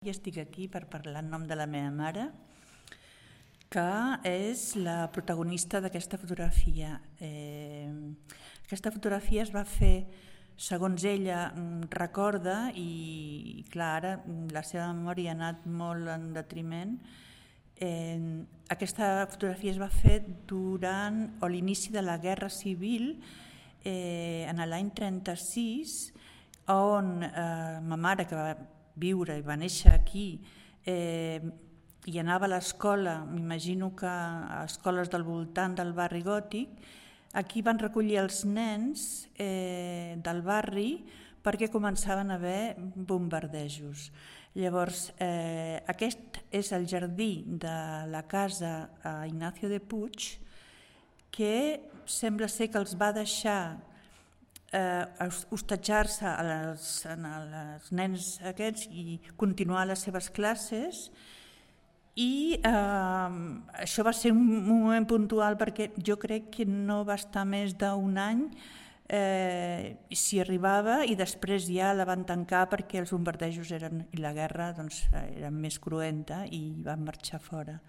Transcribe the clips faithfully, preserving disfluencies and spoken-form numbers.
I estic aquí per parlar en nom de la meva mare, que és la protagonista d'aquesta fotografia. Eh, aquesta fotografia es va fer, segons ella recorda, i clar, ara la seva memòria ha anat molt en detriment. Eh, aquesta fotografia es va fer durant o l'inici de la Guerra Civil, eh, en l'any trenta-sis, on eh, ma mare, que va viure i va néixer aquí, eh, i anava a l'escola, m'imagino que a escoles del voltant del barri gòtic, aquí van recollir els nens eh, del barri perquè començaven a haver bombardejos. Llavors, eh, aquest és el jardí de la casa a Ignacio de Puig, que sembla ser que els va deixar Eh, hostatjar-se als, als nens aquests i continuar les seves classes, i eh, això va ser un moment puntual perquè jo crec que no va estar més d'un any eh, si arribava, i després ja la van tancar perquè els bombardejos eren, i la guerra doncs, era més cruenta i van marxar fora.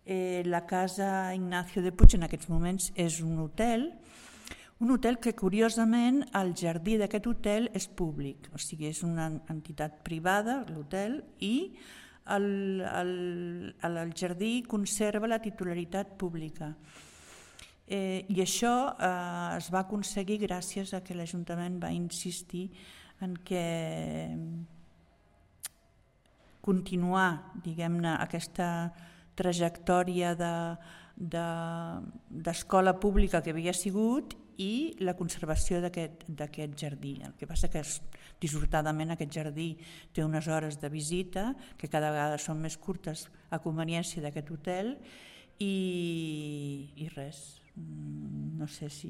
Eh, la casa Ignacio de Puig en aquests moments és un hotel, un hotel que, curiosament, el jardí d'aquest hotel és públic, o sigui, és una entitat privada, l'hotel, i el, el, el jardí conserva la titularitat pública. Eh, I això eh, es va aconseguir gràcies a que l'Ajuntament va insistir en que continuar, diguem-ne, aquesta trajectòria de, de, d'escola pública que havia sigut, i la conservació d'aquest jardí. El que passa que dissortadament aquest jardí té unes hores de visita que cada vegada són més curtes a conveniència d'aquest hotel, i, i res, no sé si